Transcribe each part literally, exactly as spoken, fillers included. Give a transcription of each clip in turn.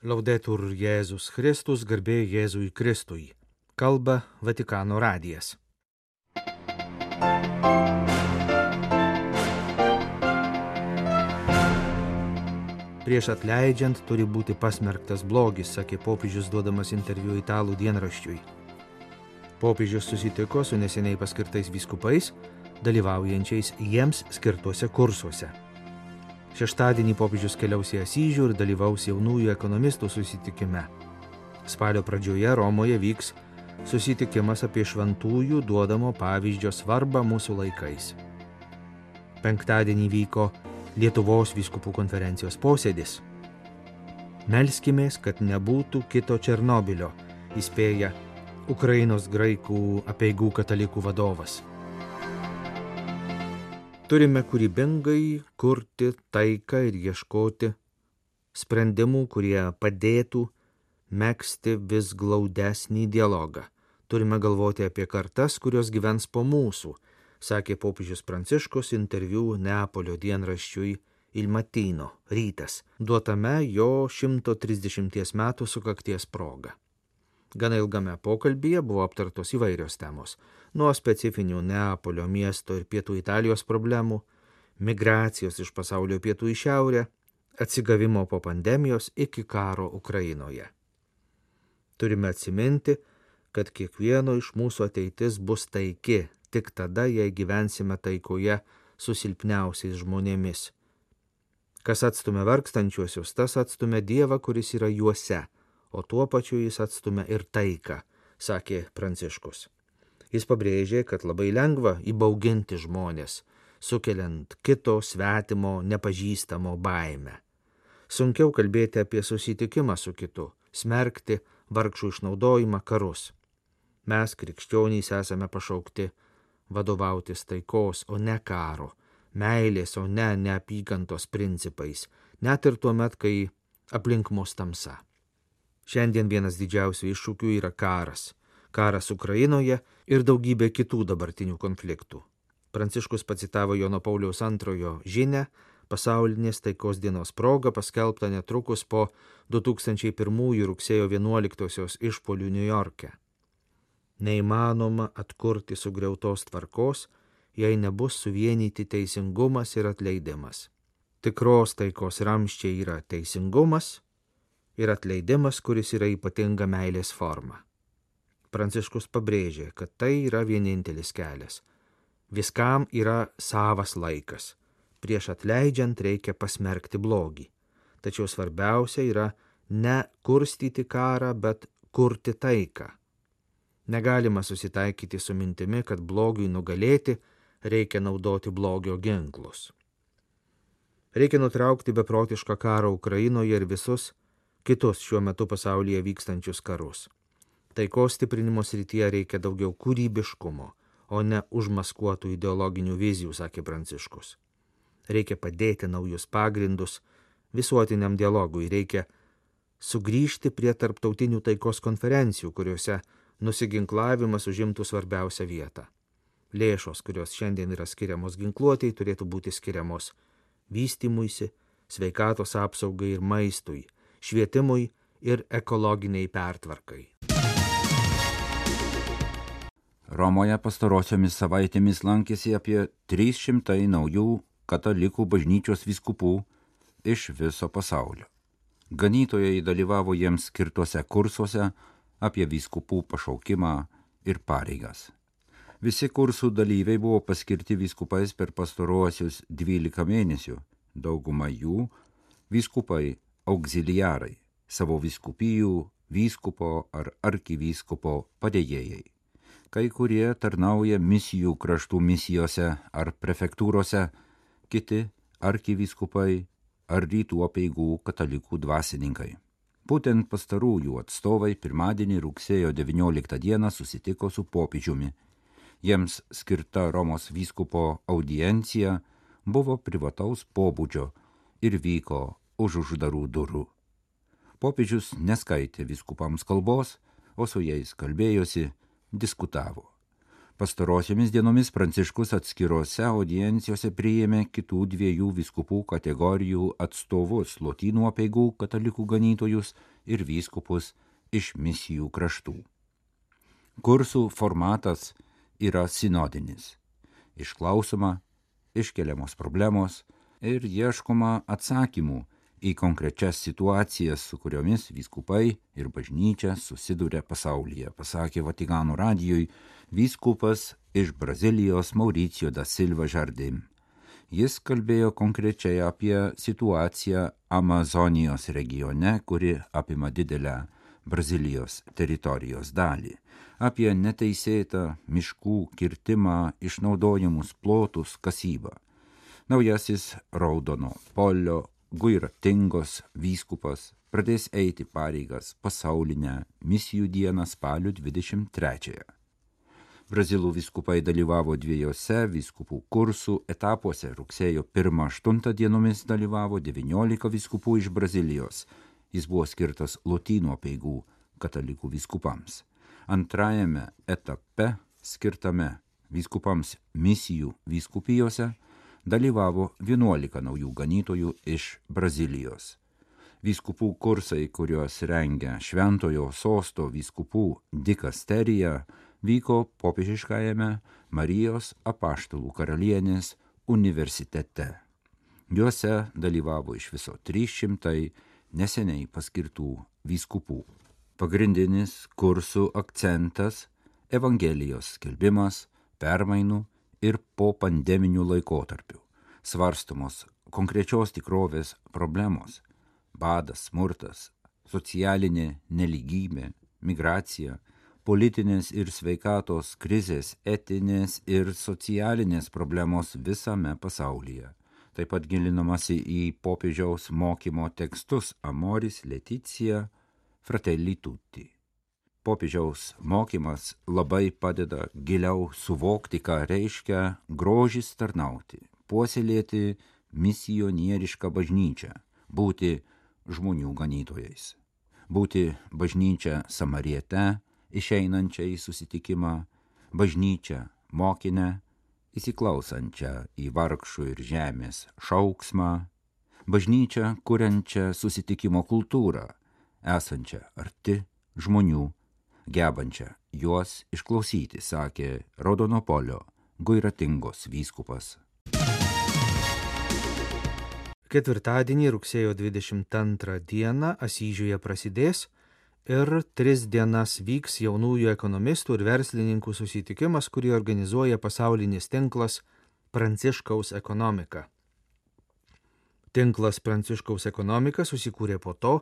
Laudetur Jėzus Kristus, garbė Jėzui Kristui. Kalba Vatikano radijas. Prieš atleidžiant turi būti pasmerktas blogis, sakė popiežius duodamas interviu italų dienraščiui. Popiežius susitiko su neseniai paskirtais vyskupais, dalyvaujančiais jiems skirtuose kursuose. Šeštadienį popiežius keliaus į Asyžių ir dalyvaus jaunųjų ekonomistų susitikime. Spalio pradžioje Romoje vyks susitikimas apie šventųjų duodamo pavyzdžio svarbą mūsų laikais. Penktadienį vyko Lietuvos vyskupų konferencijos posėdis. Melskimės, kad nebūtų kito Černobylio, įspėja Ukrainos graikų apeigų katalikų vadovas. Turime kūrybingai kurti taiką ir ieškoti sprendimų, kurie padėtų megzti vis glaudesnį dialogą. Turime galvoti apie kartas, kurios gyvens po mūsų, sakė popiežius Pranciškus interviu Neapolio dienraščiui Il Mattino, rytas, duotame jo šimto trisdešimties metų sukakties proga. Gana ilgame pokalbyje buvo aptartos įvairios temos, nuo specifinių Neapolio miesto ir pietų Italijos problemų, migracijos iš pasaulio pietų į šiaurę, atsigavimo po pandemijos iki karo Ukrainoje. Turime atsiminti, kad kiekvieno iš mūsų ateitis bus taiki, tik tada, jei gyvensime taikoje su silpniausiais žmonėmis. Kas atstumia vargstančiuosius, tas atstumia Dievą, kuris yra juose, o tuo pačiu jis atstumia ir taiką, sakė Pranciškus. Jis pabrėžė, kad labai lengva įbauginti žmonės, sukeliant kito, svetimo, nepažįstamo baimę. Sunkiau kalbėti apie susitikimą su kitu, smerkti vargšų išnaudojimą, karus. Mes, krikščionys, esame pašaukti vadovautis taikos, o ne karo, meilės, o ne neapykantos principais, net ir tuomet, kai aplink mus tamsa. Šiandien vienas didžiausių iššūkių yra karas. Karas Ukrainoje ir daugybė kitų dabartinių konfliktų. Pranciškus pacitavo Jono Pauliaus antrojo žinią, pasaulinės taikos dienos proga paskelbta netrukus po du tūkstančiai pirmųjų rugsėjo vienuoliktosios išpuolių Niujorke. Neįmanoma atkurti sugriautos tvarkos, jei nebus suvienyti teisingumas ir atleidimas. Tikros taikos ramsčiai yra teisingumas ir atleidimas, kuris yra ypatinga meilės forma. Pranciškus pabrėžė, kad tai yra vienintelis kelias. Viskam yra savas laikas. Prieš atleidžiant reikia pasmerkti blogį. Tačiau svarbiausia yra ne kurstyti karą, bet kurti taiką. Negalima susitaikyti su mintimi, kad blogiui nugalėti reikia naudoti blogio ginklus. Reikia nutraukti beprotišką karą Ukrainoje ir visus kitus šiuo metu pasaulyje vykstančius karus. Taikos stiprinimo srityje reikia daugiau kūrybiškumo, o ne užmaskuotų ideologinių vizijų, sakė Pranciškus. Reikia padėti naujus pagrindus visuotiniam dialogui, reikia sugrįžti prie tarptautinių taikos konferencijų, kuriuose nusiginklavimas užimtų svarbiausią vietą. Lėšos, kurios šiandien yra skiriamos ginkluotei, turėtų būti skiriamos vystymuisi, sveikatos apsaugai ir maistui, švietimui ir ekologiniai pertvarkai. Romoje pastarosiomis savaitėmis lankėsi apie trys šimtai naujų katalikų bažnyčios vyskupų iš viso pasaulio. Ganytojai dalyvavo jiems skirtuose kursuose apie vyskupų pašaukimą ir pareigas. Visi kursų dalyviai buvo paskirti vyskupais per pastaruosius dvylika mėnesių, dauguma jų vyskupai auxiliarai, savo vyskupijų, vyskupo ar arkivyskupo padėjėjai. Kai kurie tarnauja misijų kraštų misijose ar prefektūrose, kiti arkivyskupai ar rytų apeigų katalikų dvasininkai. Būtent pastarųjų atstovai pirmadienį rugsėjo devynioliktą dieną susitiko su popiežiumi. Jiems skirta Romos vyskupo audiencija buvo privataus pobūdžio ir vyko už uždarų durų. Popiežius neskaitė vyskupams kalbos, o su jais kalbėjosi, diskutavo. Pastarosiomis dienomis Pranciškus atskirose audiencijose priėmė kitų dviejų vyskupų kategorijų atstovus – Lotynų apeigų katalikų ganytojus ir vyskupus iš misijų kraštų. Kursų formatas yra sinodinis. Išklausoma, iškeliamos problemos ir ieškoma atsakymų į konkrečias situacijas, su kuriomis vyskupai ir bažnyčia susiduria pasaulyje, pasakė Vatikano radijui vyskupas iš Brazilijos Mauricio da Silva Jardim. Jis kalbėjo konkrečiai apie situaciją Amazonijos regione, kuri apima didelę Brazilijos teritorijos dalį, apie neteisėtą miškų kirtimą, išnaudojamus plotus, kasybą. Naujasis Raudono polio Guiratingos vyskupas pradės eiti pareigas pasaulinę misijų dieną spalio dvidešimt trečiąją. Brazilų vyskupai dalyvavo dviejose vyskupų kursų etapuose. Rugsėjo pirmą aštuntą dienomis dalyvavo devyniolika vyskupų iš Brazilijos. Jis buvo skirtas Lotynų apeigų katalikų vyskupams. Antrajame etape, skirtame vyskupams misijų vyskupijose, dalyvavo vienuolika naujų ganytojų iš Brazilijos. Vyskupų kursai, kuriuos rengia Šventojo sosto vyskupų dikasterija, vyko popiežiškajame Marijos apaštalų karalienės universitete. Juose dalyvavo iš viso trys šimtai neseniai paskirtų vyskupų. Pagrindinis kursų akcentas – Evangelijos skelbimas, permainų ir po pandeminių laikotarpių. Svarstomos konkrečios tikrovės problemos – badas, smurtas, socialinė nelygybė, migracija, politinės ir sveikatos krizės, etinės ir socialinės problemos visame pasaulyje. Taip pat gilinamasi į popiežiaus mokymo tekstus Amoris Laetitia Fratelli Tutti. Popiežiaus mokymas labai padeda giliau suvokti, ką reiškia grožis tarnauti, puoselėti misionierišką bažnyčią, būti žmonių ganytojais, būti bažnyčia samariete, išeinančia į susitikimą, bažnyčia mokinę, įsiklausančią į vargšų ir žemės šauksmą, bažnyčia kuriančią susitikimo kultūrą, esančią arti žmonių, gebančią juos išklausyti, sakė Raudonopolio Guiratingos vyskupas. Ketvirtadienį rugsėjo dvidešimt antrą dieną Asyžiuje prasidės ir tris dienas vyks jaunųjų ekonomistų ir verslininkų susitikimas, kurį organizuoja pasaulinis tinklas Pranciškaus ekonomika. Tinklas Pranciškaus ekonomika susikūrė po to,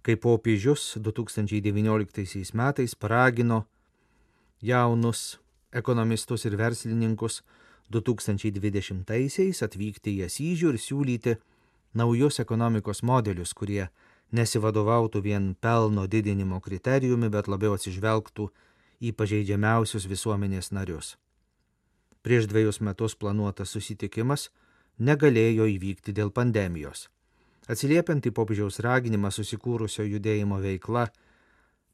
kai popiežius du tūkstančiai devynioliktaisiais metais paragino jaunus ekonomistus ir verslininkus du tūkstančiai dvidešimtaisiais atvykti į Asyžių ir siūlyti naujus ekonomikos modelius, kurie nesivadovautų vien pelno didinimo kriterijumi, bet labiau atsižvelgtų į pažeidžiamiausius visuomenės narius. Prieš dviejus metus planuotas susitikimas negalėjo įvykti dėl pandemijos. Atsiliepiant į popiežiaus raginimą, susikūrusio judėjimo veikla,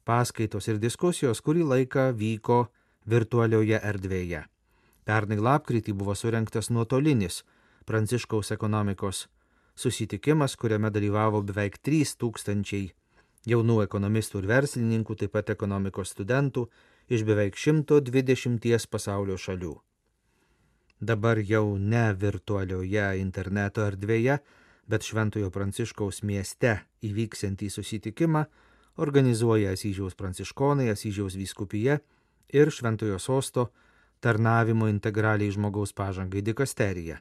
paskaitos ir diskusijos kurį laiką vyko virtualioje erdvėje. Pernai lapkritį buvo surengtas nuotolinis Pranciškaus ekonomikos susitikimas, kuriame dalyvavo beveik trys tūkstančiai jaunų ekonomistų ir verslininkų, taip pat ekonomikos studentų iš beveik šimto dvidešimties pasaulio šalių. Dabar jau ne virtualioje interneto erdvėje, bet Šventojo Pranciškaus mieste įvyksiantį susitikimą organizuoja Asyžiaus pranciškonai, Asyžiaus vyskupija ir Šventojo sosto tarnavimo integraliai žmogaus pažangai dikasterija.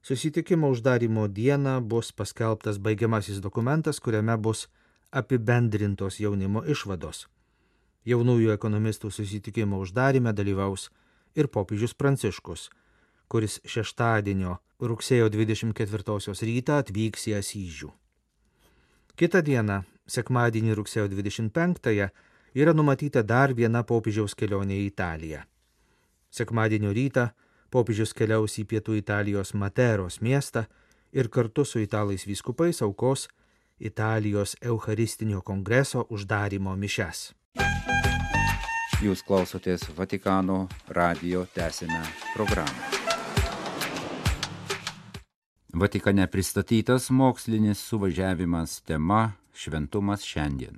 Susitikimo uždarymo dieną bus paskelbtas baigiamasis dokumentas, kuriame bus apibendrintos jaunimo išvados. Jaunųjų ekonomistų susitikimo uždaryme dalyvaus ir popiežius Pranciškus, kuris šeštadienio rugsėjo dvidešimt ketvirtosios rytą atvyks į Asyžių. Kitą dieną, sekmadienį rugsėjo dvidešimt penktąją, yra numatyta dar viena popiežiaus kelionė į Italiją. Sekmadienio rytą popiežius keliaus į pietų Italijos Materos miestą ir kartu su italais vyskupais aukos Italijos Eucharistinio kongreso uždarymo mišias. Jūs klausotės Vatikano radijo tęsinę programą. Vatikane pristatytas mokslinis suvažiavimas tema Šventumas šiandien.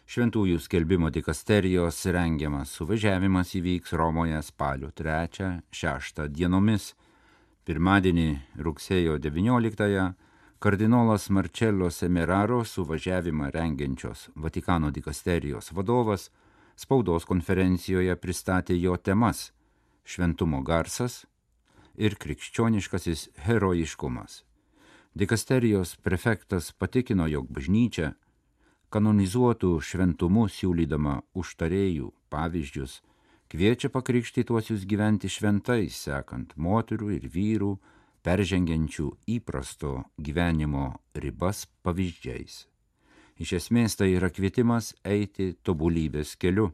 Šventųjų skelbimo dikasterijos rengiamas suvažiavimas įvyks Romoje spalio trečią šeštą dienomis. Pirmadienį rugsėjo devynioliktąją kardinolas Marcello Semeraro suvažiavimą rengiančios Vatikano dikasterijos vadovas spaudos konferencijoje pristatė jo temas – šventumo garsas ir krikščioniškasis herojiškumas. Dikasterijos prefektas patikino, jog bažnyčia kanonizuotų šventumu siūlydama užtarėjų pavyzdžius, kviečia pakrikštytuosius gyventi šventai, sekant moterų ir vyrų, peržengiančių įprasto gyvenimo ribas pavyzdžiais. Iš esmės tai yra kvietimas eiti tobulybės keliu.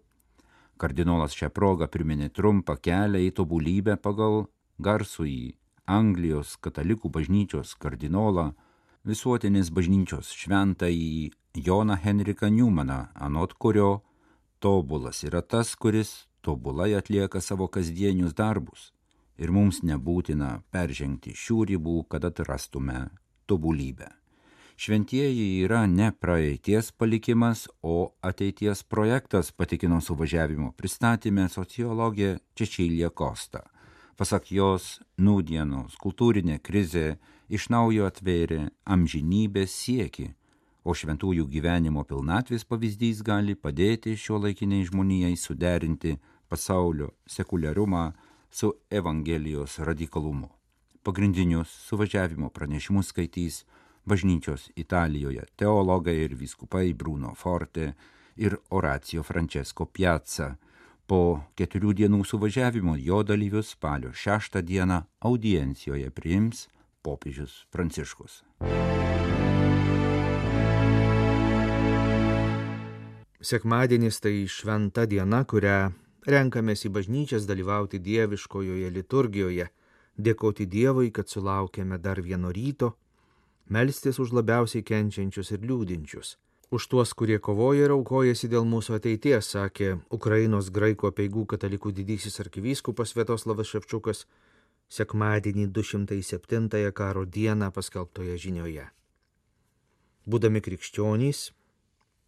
Kardinolas šią progą priminė trumpą kelią į tobulybę pagal garsųjį Anglijos katalikų bažnyčios kardinolą, visuotinės bažnyčios šventąjį Joną Henriką Newmaną, anot kurio tobulas yra tas, kuris tobulai atlieka savo kasdienius darbus ir mums nebūtina peržengti šių ribų, kad atrastume tobulybę. Šventieji yra ne praeities palikimas, o ateities projektas, patikino suvažiavimo pristatyme sociologė Cecilia Costa. Pasak jos, nūdienos kultūrinė krizė iš naujo atvėrė amžinybės siekį, o šventųjų gyvenimo pilnatvės pavyzdys gali padėti šiuolaikiniai žmonijai suderinti pasaulio sekuliarumą su Evangelijos radikalumu. Pagrindinius suvažiavimo pranešimus skaitys bažnyčios Italijoje teologai ir vyskupai Bruno Forte ir Oracio Francesco Piazza. Po keturių dienų suvažiavimo jo dalyvius spalio šeštą dieną audiencijoje priims popiežius Pranciškus. Sekmadienis tai šventa diena, kurią renkamės į bažnyčias dalyvauti dieviškojoje liturgijoje, dėkoti Dievui, kad sulaukėme dar vieno ryto, melstis už labiausiai kenčiančius ir liūdinčius, už tuos, kurie kovoja ir aukojasi dėl mūsų ateities, sakė Ukrainos graikų apeigų katalikų didysis arkivyskupas Sviatoslavas Ševčiukas sekmadienį du šimtai septintąją karo dieną paskelbtoje žinioje. Būdami krikščionys,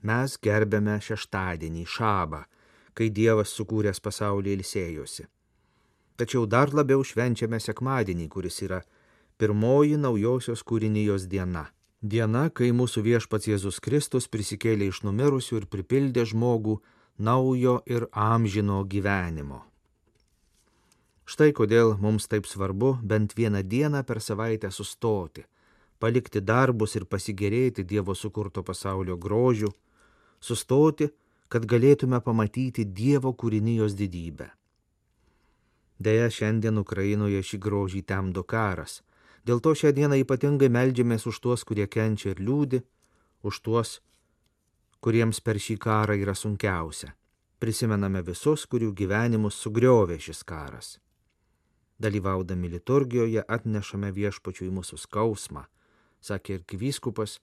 mes gerbėme šeštadienį, šabą, kai Dievas sukūręs pasaulį ilsėjosi. Tačiau dar labiau švenčiame sekmadienį, kuris yra pirmoji naujosios kūrinijos diena. Diena, kai mūsų viešpats Jėzus Kristus prisikėlė iš numirusių ir pripildė žmogų naujo ir amžino gyvenimo. Štai kodėl mums taip svarbu bent vieną dieną per savaitę sustoti, palikti darbus ir pasigėrėti Dievo sukurto pasaulio grožiu, sustoti, kad galėtume pamatyti Dievo kūrinijos didybę. Deja, šiandien Ukrainoje šį grožį temdo karas. Dėl to šią dieną ypatingai meldžiamės už tuos, kurie kenčia ir liūdi, už tuos, kuriems per šį karą yra sunkiausia. Prisimename visus, kurių gyvenimus sugriovė šis karas. Dalyvaudami liturgijoje atnešame viešpačiui mūsų skausmą, sakė arkivyskupas,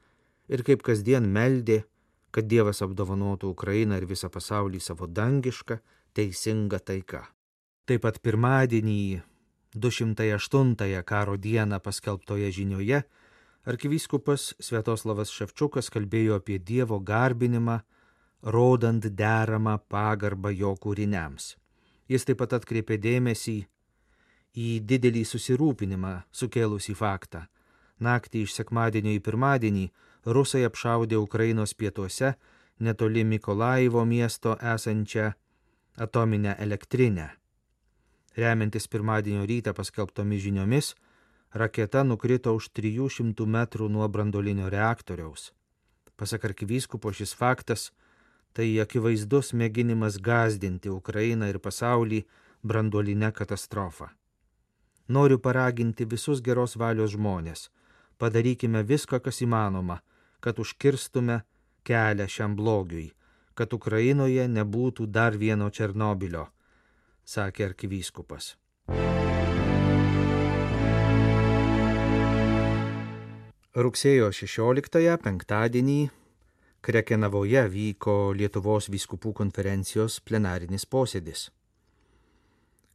ir kaip kasdien meldė, kad Dievas apdovanotų Ukrainą ir visą pasaulį savo dangišką, teisingą taiką. Taip pat pirmadienį, du šimtai aštuntąją karo dieną paskelbtoje žinioje, arkivyskupas Sviatoslavas Ševčiukas kalbėjo apie Dievo garbinimą, rodant deramą pagarbą jo kūriniams. Jis taip pat atkreipė dėmesį į didelį susirūpinimą sukėlusį faktą. Naktį iš sekmadienio į pirmadienį rusai apšaudė Ukrainos pietuose netoli Mikolaivo miesto esančią atominę elektrinę. Remiantis pirmadienio rytą paskelbtomis žiniomis, raketa nukrito už trijų šimtų metrų nuo branduolinio reaktoriaus. Pasak arkivyskupo, šis faktas tai akivaizdus mėginimas gąsdinti Ukrainą ir pasaulį branduolinę katastrofą. Noriu paraginti visus geros valios žmonės. Padarykime viską, kas įmanoma, kad užkirstume kelią šiam blogiui, kad Ukrainoje nebūtų dar vieno Černobilio, sakė arkivyskupas. Rugsėjo šešioliktąją penktadienį Krekenavoje vyko Lietuvos vyskupų konferencijos plenarinis posėdis.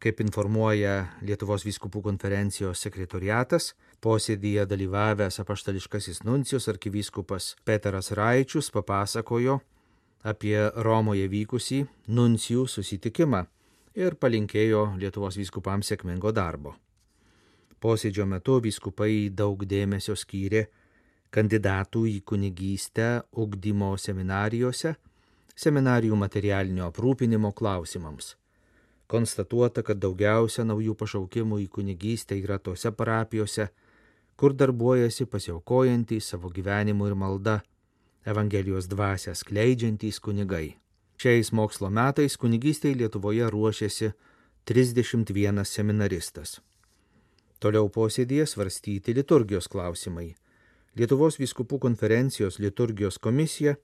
Kaip informuoja Lietuvos vyskupų konferencijos sekretoriatas, posėdyje dalyvavęs apaštališkasis nuncijus arkivyskupas Petras Raičius papasakojo apie Romoje vykusį nuncijų susitikimą ir palinkėjo Lietuvos vyskupams sėkmingo darbo. Posėdžio metu vyskupai daug dėmesio skyrė kandidatų į kunigystę ugdymo seminarijose, seminarijų materialinio aprūpinimo klausimams. Konstatuota, kad daugiausia naujų pašaukimų į kunigystę yra tose parapijose, kur darbuojasi pasiaukojantys savo gyvenimu ir malda, Evangelijos dvasią skleidžiantys kunigai. Šiais mokslo metais kunigystei Lietuvoje ruošiasi trisdešimt vienas seminaristas. Toliau posėdyje svarstyti liturgijos klausimai. Lietuvos vyskupų konferencijos liturgijos komisija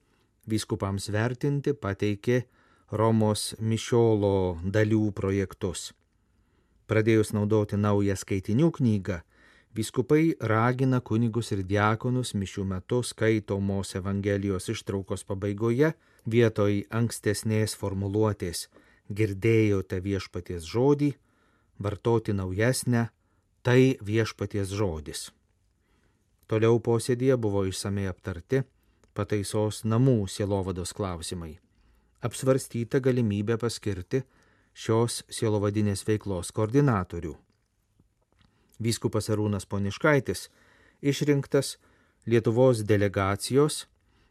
vyskupams vertinti pateikė Romos mišiolo dalių projektus. Pradėjus naudoti naują skaitinių knygą, vyskupai ragina kunigus ir diakonus mišių metu skaitomos Evangelijos ištraukos pabaigoje vietoj ankstesnės formuluotės girdėjote viešpaties žodį, vartoti naujesnę, tai viešpaties žodis. Toliau posėdyje buvo išsamei aptarti pataisos namų sielovados klausimai. Apsvarstyta galimybė paskirti šios sielovadinės veiklos koordinatorių. Vyskupas Arūnas Poniškaitis išrinktas Lietuvos delegacijos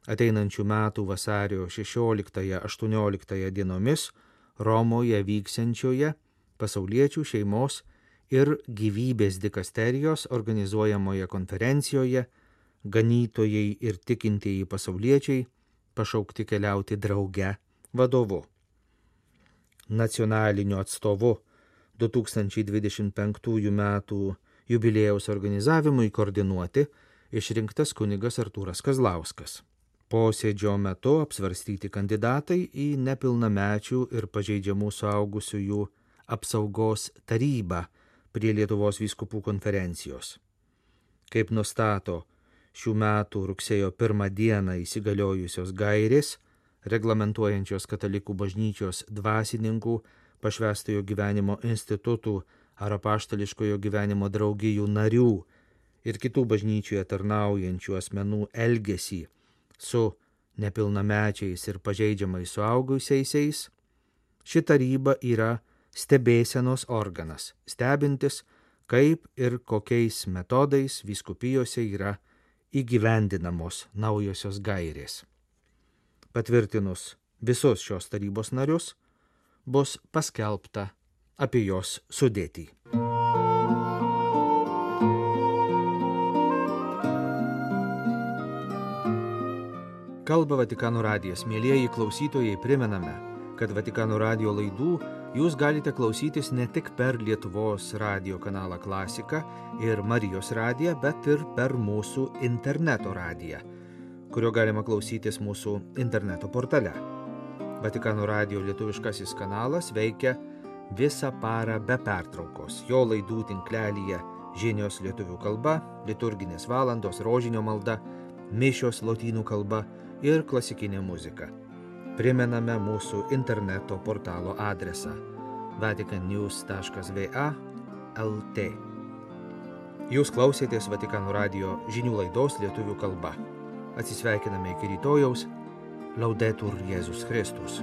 ateinančių metų vasario šešioliktąją-aštuonioliktąją dienomis Romoje vyksiančioje pasauliečių šeimos ir gyvybės dikasterijos organizuojamoje konferencijoje Ganytojai ir tikintieji pasauliečiai pašaukti keliauti drauge vadovu. Nacionaliniu atstovu du tūkstančiai dvidešimt penktųjų metų jubiliejaus organizavimui koordinuoti išrinktas kunigas Artūras Kazlauskas. Posėdžio metu apsvarstyti kandidatai į nepilnamečių ir pažeidžiamų suaugusiųjų apsaugos tarybą prie Lietuvos vyskupų konferencijos. Kaip nustato šių metų rugsėjo pirmą dieną įsigaliojusios gairės, reglamentuojančios katalikų bažnyčios dvasininkų, pašvęstojo gyvenimo institutų ar apaštališkojo gyvenimo draugijų narių ir kitų bažnyčioje tarnaujančių asmenų elgesį su nepilnamečiais ir pažeidžiamais suaugusiaisiais, ši taryba yra stebėsenos organas, stebintis, kaip ir kokiais metodais vyskupijose yra įgyvendinamos naujosios gairės. Patvirtinus visus šios tarybos narius, bus paskelbta apie jos sudėtį. Kalba Vatikano radijas. Mielieji klausytojai, primename, kad Vatikano radijo laidų jūs galite klausytis ne tik per Lietuvos radijo kanalą Klasika ir Marijos radiją, bet ir per mūsų interneto radiją, kurio galima klausytis mūsų interneto portale. Vatikano radijo lietuviškasis kanalas veikia visą parą be pertraukos. Jo laidų tinklelyje žinios lietuvių kalba, liturginės valandos, rožinio malda, mišios lotynų kalba ir klasikinė muzika. Primename mūsų interneto portalo adresą vatican news taškas v a taškas l t. Jūs klausėtės Vatikano radijo žinių laidos lietuvių kalba. Atsisveikiname iki rytojaus. Laudetur Jėzus Kristus.